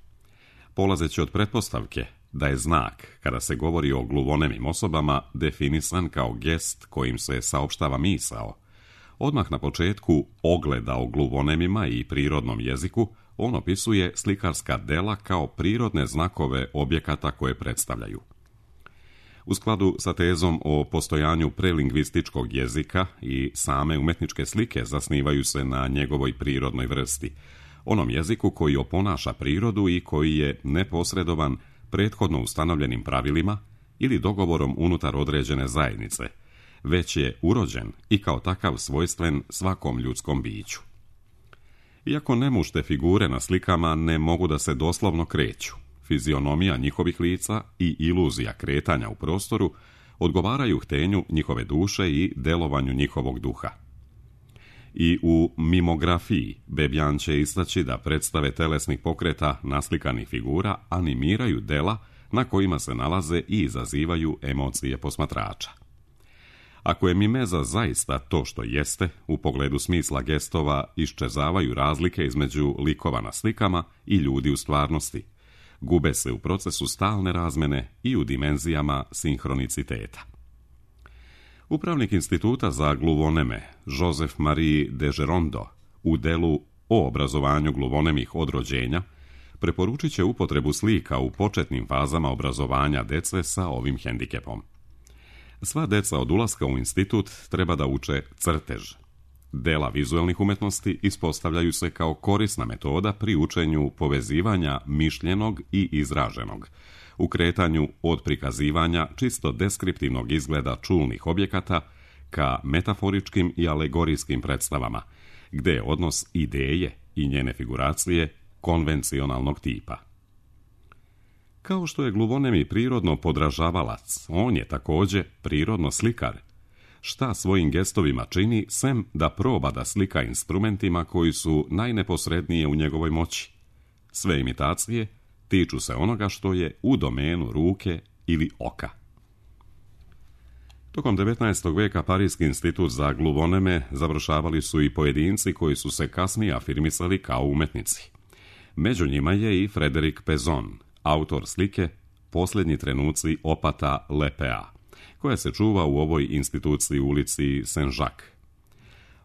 Polazeći od pretpostavke da je znak, kada se govori o gluvonemim osobama, definisan kao gest kojim se saopštava misao, odmah na početku ogleda o gluvonemima i prirodnom jeziku, on opisuje slikarska dela kao prirodne znakove objekata koje predstavljaju. U skladu sa tezom o postojanju prelingvističkog jezika i same umetničke slike zasnivaju se na njegovoj prirodnoj vrsti, onom jeziku koji oponaša prirodu i koji je neposredovan prethodno ustanovljenim pravilima ili dogovorom unutar određene zajednice, već je urođen i kao takav svojstven svakom ljudskom biću. Iako nemušte figure na slikama ne mogu da se doslovno kreću, fizionomija njihovih lica i iluzija kretanja u prostoru odgovaraju htenju njihove duše i delovanju njihovog duha. I u mimografiji Bebian će istaći da predstave telesnih pokreta naslikanih figura animiraju dela na kojima se nalaze i izazivaju emocije posmatrača. Ako je mimeza zaista to što jeste, u pogledu smisla gestova iščezavaju razlike između likova na slikama i ljudi u stvarnosti. Gube se u procesu stalne razmene i u dimenzijama sinhroniciteta. Upravnik instituta za gluvoneme, Joseph Marie de Gerondo, u delu o obrazovanju gluvonemih od rođenja, preporučit će upotrebu slika u početnim fazama obrazovanja dece sa ovim hendikepom. Sva deca od ulaska u institut treba da uče crtež. Dela vizuelnih umetnosti ispostavljaju se kao korisna metoda pri učenju povezivanja mišljenog i izraženog, u kretanju od prikazivanja čisto deskriptivnog izgleda čulnih objekata ka metaforičkim i alegorijskim predstavama, gde je odnos ideje i njene figuracije konvencionalnog tipa. Kao što je gluvonemi prirodno podražavalac, on je također prirodno slikar. Šta svojim gestovima čini, sem da proba da slika instrumentima koji su najneposrednije u njegovoj moći. Sve imitacije tiču se onoga što je u domenu ruke ili oka. Tokom devetnaestog veka Parijski institut za gluvoneme završavali su i pojedinci koji su se kasnije afirmisali kao umetnici. Među njima je i Frédéric Pézon, autor slike Posljednji trenuci opata Lepea, koja se čuva u ovoj instituciji u ulici Saint-Jacques.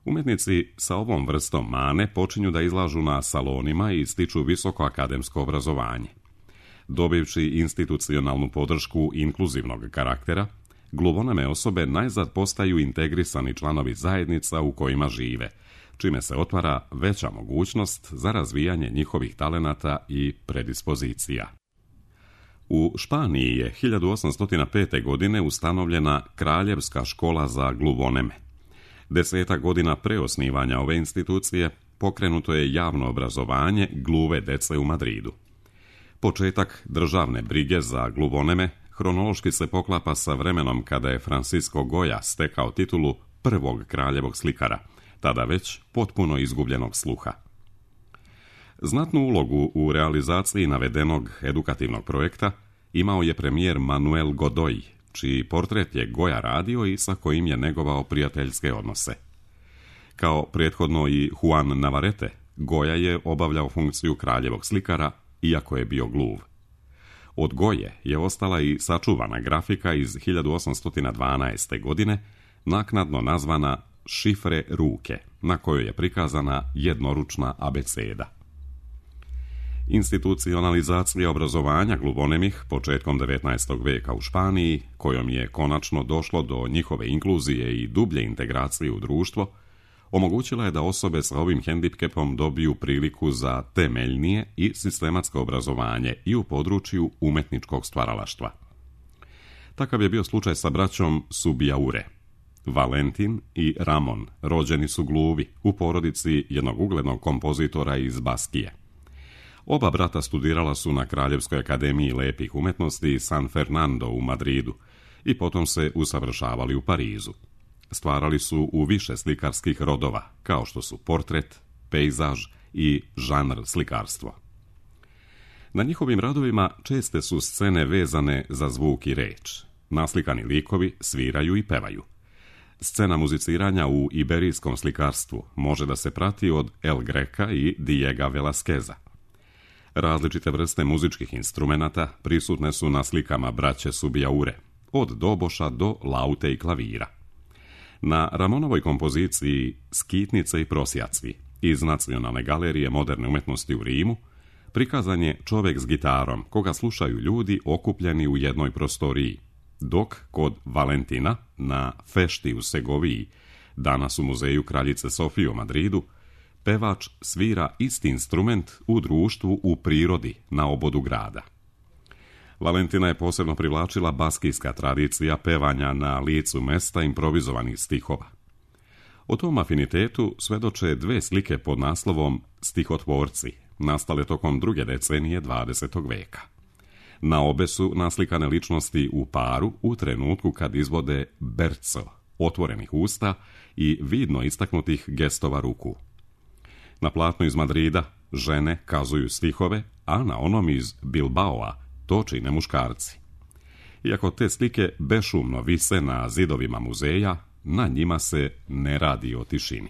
Umetnici sa ovom vrstom mane počinju da izlažu na salonima i stiču visoko akademsko obrazovanje. Dobivši institucionalnu podršku inkluzivnog karaktera, gluvoneme osobe najzad postaju integrisani članovi zajednica u kojima žive, čime se otvara veća mogućnost za razvijanje njihovih talenata i predispozicija. U Španiji je hiljadu osamsto pete. godine ustanovljena Kraljevska škola za gluvoneme. Desetak godina pre osnivanja ove institucije pokrenuto je javno obrazovanje gluve dece u Madridu. Početak državne brige za gluvoneme hronološki se poklapa sa vremenom kada je Francisco Goya stekao titulu prvog kraljevog slikara, tada već potpuno izgubljenog sluha. Znatnu ulogu u realizaciji navedenog edukativnog projekta imao je premijer Manuel Godoy, čiji portret je Goya radio i sa kojim je negovao prijateljske odnose. Kao prethodno i Juan Navarrete, Goya je obavljao funkciju kraljevog slikara, iako je bio gluv. Od Goje je ostala i sačuvana grafika iz hiljadu osamsto dvanaeste. godine, naknadno nazvana Šifre ruke, na kojoj je prikazana jednoručna abeceda. Institucionalizacija obrazovanja gluvonemih početkom devetnaestog veka u Španiji, kojom je konačno došlo do njihove inkluzije i dublje integracije u društvo, omogućila je da osobe sa ovim hendikepom dobiju priliku za temeljnije i sistematsko obrazovanje i u području umetničkog stvaralaštva. Takav je bio slučaj sa braćom Subijaure. Valentin i Ramon rođeni su gluvi u porodici jednog uglednog kompozitora iz Baskije. Oba brata studirala su na Kraljevskoj akademiji lepih umetnosti San Fernando u Madridu i potom se usavršavali u Parizu. Stvarali su u više slikarskih rodova, kao što su portret, pejzaž i žanr slikarstvo. Na njihovim radovima česte su scene vezane za zvuk i reč. Naslikani likovi sviraju i pevaju. Scena muziciranja u iberijskom slikarstvu može da se prati od El Greca i Diega Velasqueza. Različite vrste muzičkih instrumenata prisutne su na slikama braće Subijaure, od doboša do laute i klavira. Na Ramonovoj kompoziciji Skitnice i prosjacvi iz Nacionalne galerije moderne umetnosti u Rimu prikazan je čovjek s gitarom, koga slušaju ljudi okupljeni u jednoj prostoriji, dok kod Valentina na Fešti u Segoviji, danas u muzeju Kraljice Sofije u Madridu, pevač svira isti instrument u društvu u prirodi na obodu grada. Valentina je posebno privlačila baskijska tradicija pevanja na licu mesta improvizovanih stihova. O tom afinitetu svedoče dve slike pod naslovom Stihotvorci, nastale tokom druge decenije dvadesetog veka. Na obe su naslikane ličnosti u paru u trenutku kad izvode berco, otvorenih usta i vidno istaknutih gestova ruku. Na platnu iz Madrida žene kazuju stihove, a na onom iz Bilbaoa to čine muškarci. Iako te slike bešumno vise na zidovima muzeja, na njima se ne radi o tišini.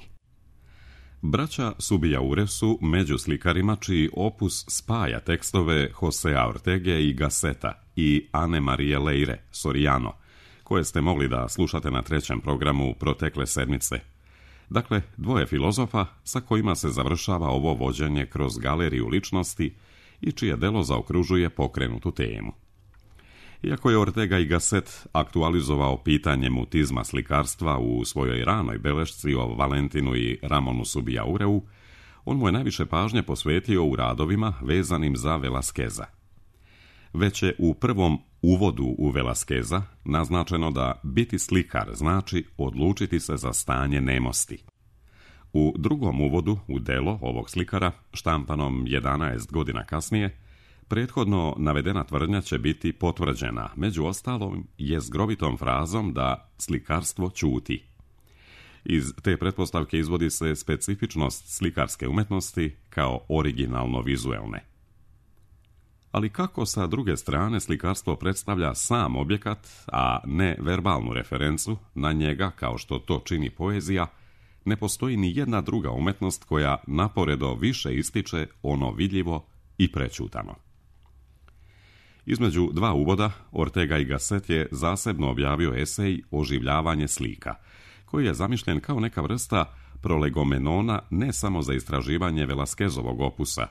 Braća Subijaure su među slikarima čiji opus spaja tekstove Josea Ortege i Gasseta i Ane Marije Leire, Soriano, koje ste mogli da slušate na trećem programu protekle sedmice. Dakle, dvoje filozofa sa kojima se završava ovo vođenje kroz galeriju ličnosti i čije delo zaokružuje pokrenutu temu. Iako je Ortega i Gasset aktualizovao pitanje mutizma slikarstva u svojoj ranoj belešci o Valentinu i Ramonu Subijaureu, on mu je najviše pažnje posvetio u radovima vezanim za Velasqueza. Već je u prvom uvodu u Velasqueza naznačeno da biti slikar znači odlučiti se za stanje nemosti. U drugom uvodu u delo ovog slikara, štampanom jedanaest godina kasnije, prethodno navedena tvrdnja će biti potvrđena, među ostalom jezgrovitom frazom da slikarstvo ćuti. Iz te pretpostavke izvodi se specifičnost slikarske umetnosti kao originalno-vizuelne. Ali kako sa druge strane slikarstvo predstavlja sam objekat, a ne verbalnu referencu na njega kao što to čini poezija, ne postoji ni jedna druga umetnost koja naporedo više ističe ono vidljivo i prećutano. Između dva uvoda, Ortega i Gasset je zasebno objavio esej Oživljavanje slika, koji je zamišljen kao neka vrsta prolegomenona ne samo za istraživanje Velasquezovog opusa,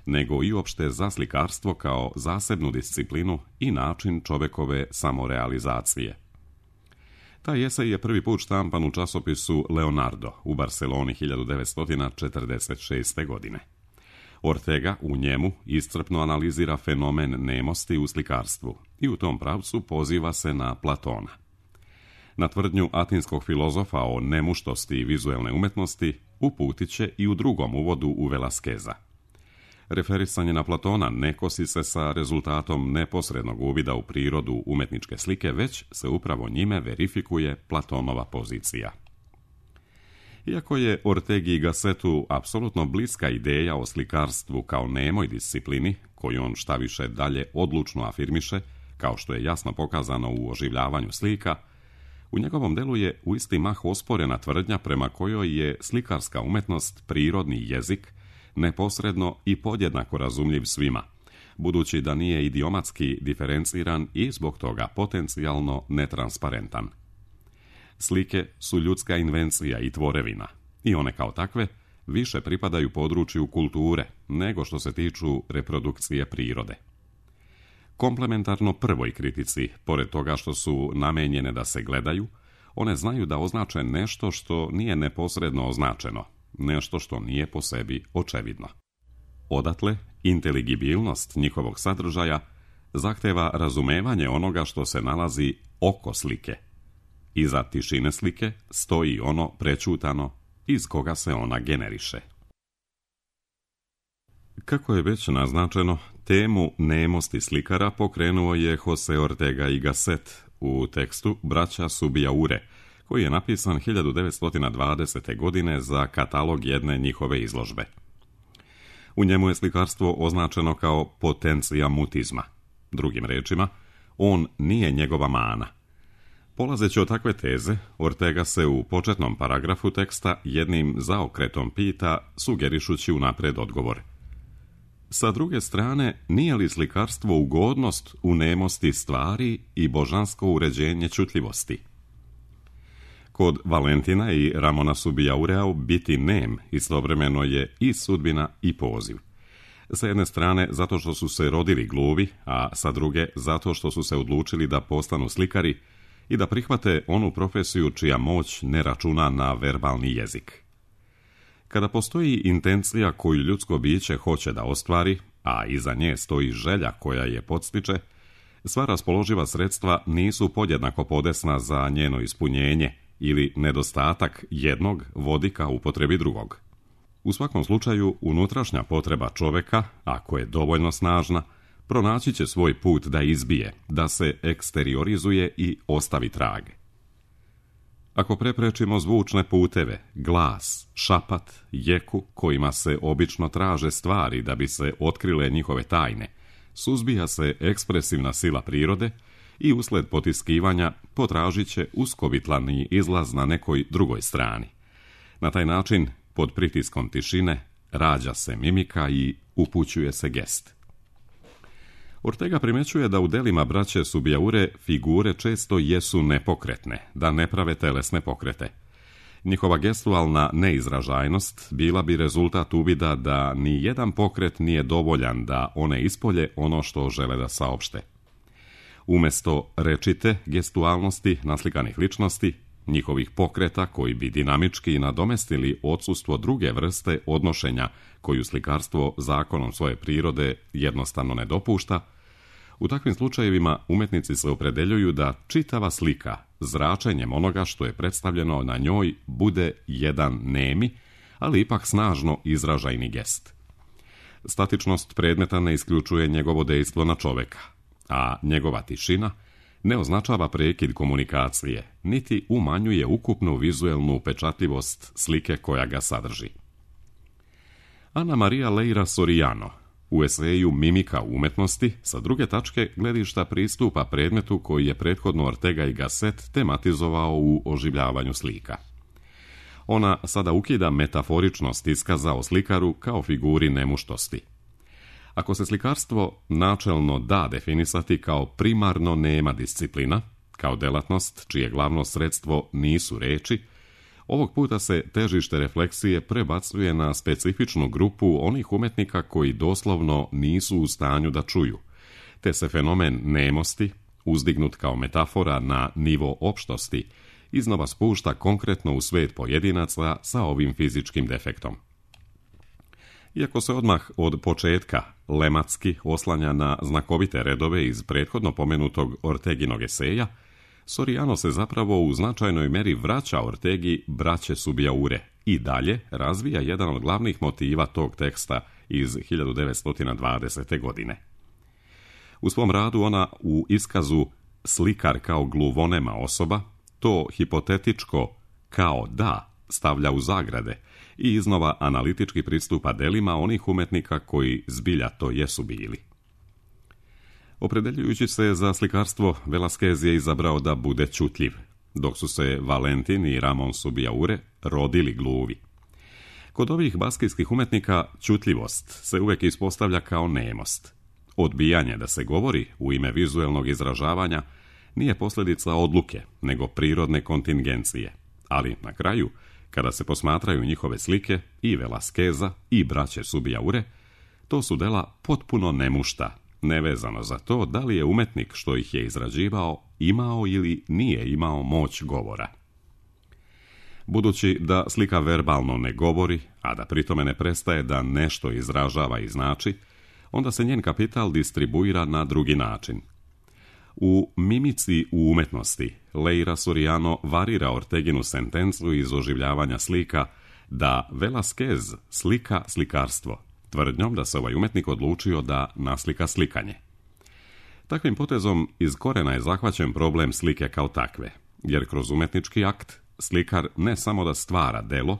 nego i uopšte za slikarstvo kao zasebnu disciplinu i način čovekove samorealizacije. Taj esej je prvi put štampan u časopisu Leonardo u Barceloni hiljadu devetsto četrdeset šeste. godine. Ortega u njemu iscrpno analizira fenomen nemosti u slikarstvu i u tom pravcu poziva se na Platona. Na tvrdnju atinskog filozofa o nemuštosti vizuelne umetnosti uputit će i u drugom uvodu u Velasqueza. Referisanje na Platona ne kosi se sa rezultatom neposrednog uvida u prirodu umetničke slike, već se upravo njime verifikuje Platonova pozicija. Iako je Ortegi i Gassetu apsolutno bliska ideja o slikarstvu kao nemoj disciplini, koju on šta više dalje odlučno afirmiše, kao što je jasno pokazano u Oživljavanju slika, u njegovom delu je u isti mah osporena tvrdnja prema kojoj je slikarska umetnost prirodni jezik, neposredno i podjednako razumljiv svima, budući da nije idiomatski diferenciran i zbog toga potencijalno netransparentan. Slike su ljudska invencija i tvorevina, i one kao takve više pripadaju području kulture nego što se tiču reprodukcije prirode. Komplementarno prvoj kritici, pored toga što su namenjene da se gledaju, one znaju da označe nešto što nije neposredno označeno, nešto što nije po sebi očevidno. Odatle, inteligibilnost njihovog sadržaja zahteva razumevanje onoga što se nalazi oko slike. Iza tišine slike stoji ono prećutano iz koga se ona generiše. Kako je već naznačeno, temu nemosti slikara pokrenuo je Jose Ortega y Gasset u tekstu Braća Subijaure, koji je napisan hiljadu devetsto dvadesete. godine za katalog jedne njihove izložbe. U njemu je slikarstvo označeno kao potencija mutizma. Drugim rečima, on nije njegova mana. Polazeći od takve teze, Ortega se u početnom paragrafu teksta jednim zaokretom pita, sugerišući unapred odgovor. Sa druge strane, nije li slikarstvo ugodnost u nemosti stvari i božansko uređenje čutljivosti? Kod Valentina i Ramona Subijaurea biti nem istovremeno je i sudbina i poziv. Sa jedne strane zato što su se rodili gluvi, a sa druge zato što su se odlučili da postanu slikari i da prihvate onu profesiju čija moć ne računa na verbalni jezik. Kada postoji intencija koju ljudsko biće hoće da ostvari, a iza nje stoji želja koja je podstiče, sva raspoloživa sredstva nisu podjednako podesna za njeno ispunjenje ili nedostatak jednog vodi ka upotrebi drugog. U svakom slučaju, unutrašnja potreba čoveka, ako je dovoljno snažna, pronaći će svoj put da izbije, da se eksteriorizuje i ostavi trag. Ako preprečimo zvučne puteve, glas, šapat, jeku kojima se obično traže stvari da bi se otkrile njihove tajne, suzbija se ekspresivna sila prirode i usled potiskivanja potražit će uskovitlani izlaz na nekoj drugoj strani. Na taj način, pod pritiskom tišine, rađa se mimika i upućuje se gest. Ortega primjećuje da u delima braće Subijaure figure često jesu nepokretne, da ne prave telesne pokrete. Njihova gestualna neizražajnost bila bi rezultat uvida da ni jedan pokret nije dovoljan da one ispolje ono što žele da saopšte. Umjesto rečite gestualnosti naslikanih ličnosti, njihovih pokreta koji bi dinamički nadomestili odsustvo druge vrste odnošenja koju slikarstvo zakonom svoje prirode jednostavno ne dopušta, u takvim slučajevima umjetnici se opredeljuju da čitava slika, zračenjem onoga što je predstavljeno na njoj, bude jedan nemi, ali ipak snažno izražajni gest. Statičnost predmeta ne isključuje njegovo dejstvo na čoveka, a njegova tišina ne označava prekid komunikacije, niti umanjuje ukupnu vizuelnu upečatljivost slike koja ga sadrži. Ana Maria Leira Soriano u eseju Mimika umetnosti sa druge tačke gledišta pristupa predmetu koji je prethodno Ortega y Gasset tematizovao u oživljavanju slika. Ona sada ukida metaforičnost iskaza o slikaru kao figuri nemuštosti. Ako se slikarstvo načelno da definisati kao primarno nema disciplina, kao delatnost čije glavno sredstvo nisu reči, ovog puta se težište refleksije prebacuje na specifičnu grupu onih umetnika koji doslovno nisu u stanju da čuju, te se fenomen nemosti, uzdignut kao metafora na nivo opštosti, iznova spušta konkretno u svet pojedinaca sa ovim fizičkim defektom. Iako se odmah od početka lematski oslanja na znakovite redove iz prethodno pomenutog Orteginog eseja, Soriano se zapravo u značajnoj meri vraća Ortegi braće Subijaure i dalje razvija jedan od glavnih motiva tog teksta iz hiljadu devetsto dvadesete. godine. U svom radu ona u iskazu slikar kao gluvonema osoba to hipotetičko kao da stavlja u zagrade i iznova analitički pristupa delima onih umetnika koji zbilja to jesu bili. Opredeljujući se za slikarstvo, Velázquez je izabrao da bude čutljiv, dok su se Valentin i Ramon Subijaure rodili gluvi. Kod ovih baskijskih umetnika čutljivost se uvijek ispostavlja kao nemost. Odbijanje da se govori u ime vizuelnog izražavanja nije posljedica odluke, nego prirodne kontingencije, ali na kraju, kada se posmatraju njihove slike, i Velázqueza i braće Subijaure, to su dela potpuno nemušta, nevezano za to da li je umetnik što ih je izrađivao imao ili nije imao moć govora. Budući da slika verbalno ne govori, a da pritome ne prestaje da nešto izražava i znači, onda se njen kapital distribuira na drugi način. U Mimici u umetnosti Leira Soriano varira Orteginu sentencu iz oživljavanja slika da Velázquez slika slikarstvo, tvrdnjom da se ovaj umjetnik odlučio da naslika slikanje. Takvim potezom iz korena je zahvaćen problem slike kao takve, jer kroz umjetnički akt slikar ne samo da stvara delo,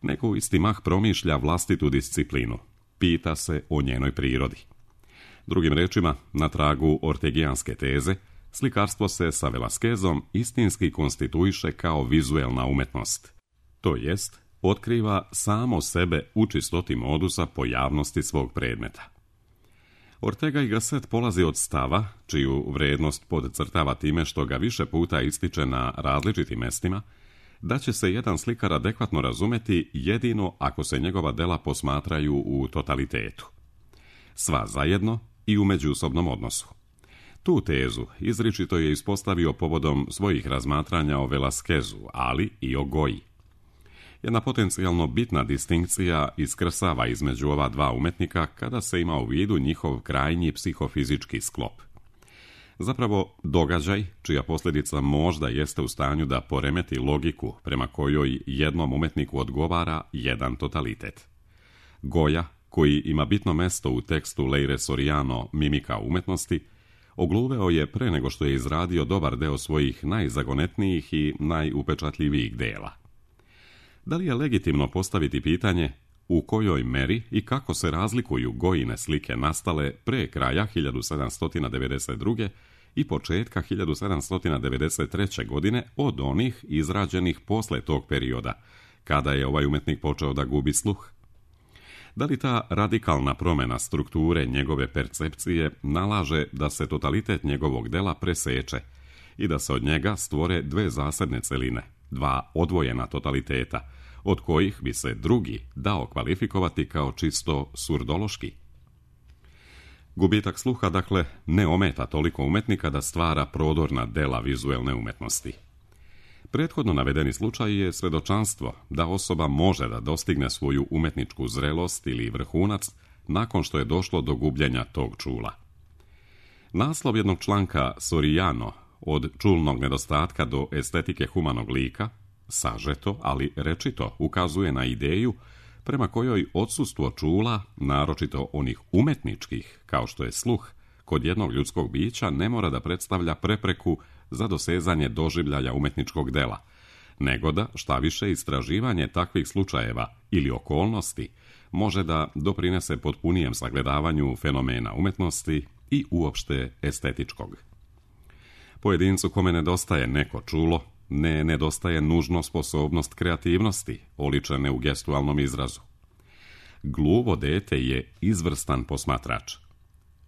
nego u isti mah promišlja vlastitu disciplinu, pita se o njenoj prirodi. Drugim rečima, na tragu ortegijanske teze, slikarstvo se sa Velasquezom istinski konstituiše kao vizuelna umetnost, to jest otkriva samo sebe u čistoti modusa pojavnosti svog predmeta. Ortega y Gasset polazi od stava, čiju vrednost podcrtava time što ga više puta ističe na različitim mestima, da će se jedan slikar adekvatno razumeti jedino ako se njegova dela posmatraju u totalitetu. Sva zajedno i u međusobnom odnosu. Tu tezu izričito je ispostavio povodom svojih razmatranja o Velasquezu, ali i o Goji. Jedna potencijalno bitna distinkcija iskrsava između ova dva umetnika kada se ima u vidu njihov krajnji psihofizički sklop. Zapravo, događaj, čija posljedica možda jeste u stanju da poremeti logiku prema kojoj jednom umetniku odgovara jedan totalitet. Goja, koji ima bitno mesto u tekstu Leire Soriano Mimika umetnosti, ogluveo je pre nego što je izradio dobar deo svojih najzagonetnijih i najupečatljivijih dela. Da li je legitimno postaviti pitanje u kojoj meri i kako se razlikuju Gojine slike nastale pre kraja hiljadu sedamsto devedeset druge. i početka hiljadu sedamsto devedeset treće. godine od onih izrađenih posle tog perioda, kada je ovaj umetnik počeo da gubi sluh? Da li ta radikalna promjena strukture njegove percepcije nalaže da se totalitet njegovog dela preseče i da se od njega stvore dve zasebne celine, dva odvojena totaliteta, od kojih bi se drugi dao kvalifikovati kao čisto surdološki? Gubitak sluha, dakle, ne ometa toliko umetnika da stvara prodorna dela vizuelne umetnosti. Prethodno navedeni slučaj je svedočanstvo da osoba može da dostigne svoju umetničku zrelost ili vrhunac nakon što je došlo do gubljenja tog čula. Naslov jednog članka Soriano, od čulnog nedostatka do estetike humanog lika, sažeto, ali rečito ukazuje na ideju prema kojoj odsustvo čula, naročito onih umetničkih, kao što je sluh, kod jednog ljudskog bića ne mora da predstavlja prepreku za dosezanje doživljaja umetničkog dela, nego da, šta više, istraživanje takvih slučajeva ili okolnosti može da doprinese potpunijem sagledavanju fenomena umetnosti i uopšte estetičkog. Pojedincu kome nedostaje neko čulo, ne nedostaje nužno sposobnost kreativnosti, oličene u gestualnom izrazu. Gluvo dete je izvrstan posmatrač.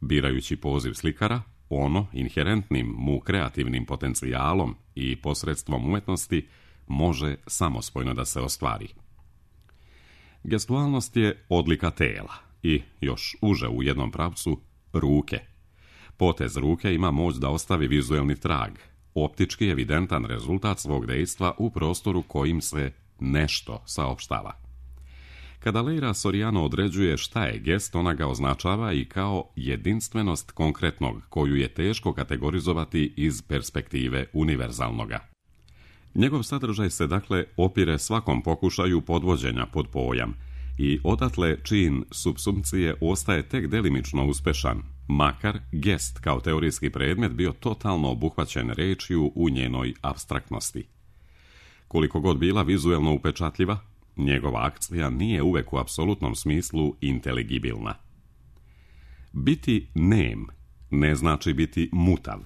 Birajući poziv slikara, ono, inherentnim mu kreativnim potencijalom i posredstvom umetnosti, može samospojno da se ostvari. Gestualnost je odlika tela i, još uže u jednom pravcu, ruke. Potez ruke ima moć da ostavi vizuelni trag, optički evidentan rezultat svog dejstva u prostoru kojim se nešto saopštava. Kada Leira Soriano određuje šta je gest, ona ga označava i kao jedinstvenost konkretnog, koju je teško kategorizovati iz perspektive univerzalnoga. Njegov sadržaj se dakle opire svakom pokušaju podvođenja pod pojam i odatle čin supsumpcije ostaje tek delimično uspešan, makar gest kao teorijski predmet bio totalno obuhvaćen rečju u njenoj apstraktnosti. Koliko god bila vizuelno upečatljiva, njegova akcija nije uvek u apsolutnom smislu inteligibilna. Biti nem ne znači biti mutav.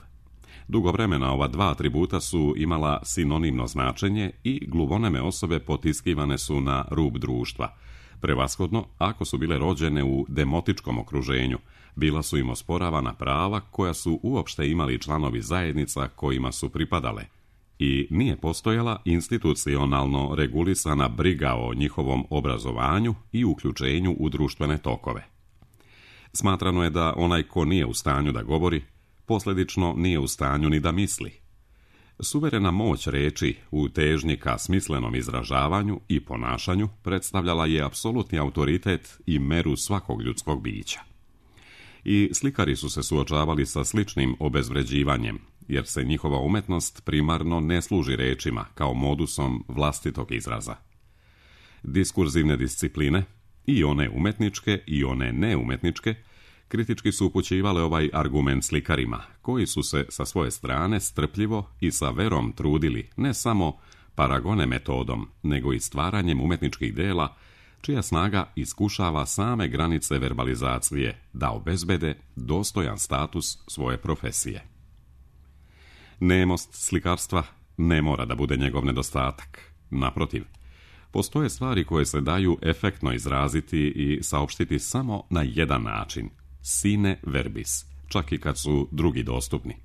Dugo vremena ova dva atributa su imala sinonimno značenje i gluvoneme osobe potiskivane su na rub društva. Prevashodno, ako su bile rođene u demotičkom okruženju, bila su im osporavana prava koja su uopšte imali članovi zajednica kojima su pripadale i nije postojala institucionalno regulisana briga o njihovom obrazovanju i uključenju u društvene tokove. Smatrano je da onaj ko nije u stanju da govori, posljedično nije u stanju ni da misli. Suverena moć reči u težnji ka smislenom izražavanju i ponašanju predstavljala je apsolutni autoritet i meru svakog ljudskog bića. I slikari su se suočavali sa sličnim obezvređivanjem, jer se njihova umetnost primarno ne služi rečima kao modusom vlastitog izraza. Diskurzivne discipline, I one umetničke i one neumetničke kritički su upućivale ovaj argument slikarima, koji su se sa svoje strane strpljivo i sa verom trudili ne samo paragone metodom, nego i stvaranjem umetničkih dela, čija snaga iskušava same granice verbalizacije da obezbede dostojan status svoje profesije. Nemost slikarstva ne mora da bude njegov nedostatak. Naprotiv, postoje stvari koje se daju efektno izraziti i saopštiti samo na jedan način, sine verbis, čak i kad su drugi dostupni.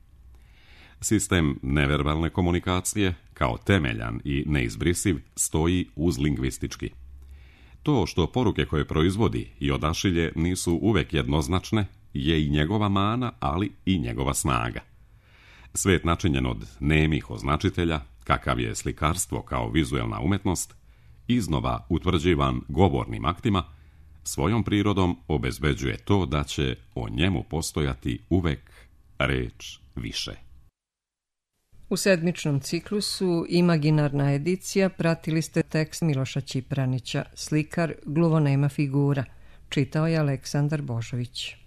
Sistem neverbalne komunikacije, kao temeljan i neizbrisiv, stoji uz lingvistički. To što poruke koje proizvodi i odašilje nisu uvek jednoznačne, je i njegova mana, ali i njegova snaga. Svet načinjen od nemih označitelja, kakav je slikarstvo kao vizuelna umetnost, iznova utvrđivan govornim aktima, svojom prirodom obezbeđuje to da će o njemu postojati uvek reč više. U sedmičnom ciklusu Imaginarna edicija pratili ste tekst Miloša Ćipranića, Slikar, gluvonema figura. Čitao je Aleksandar Božović.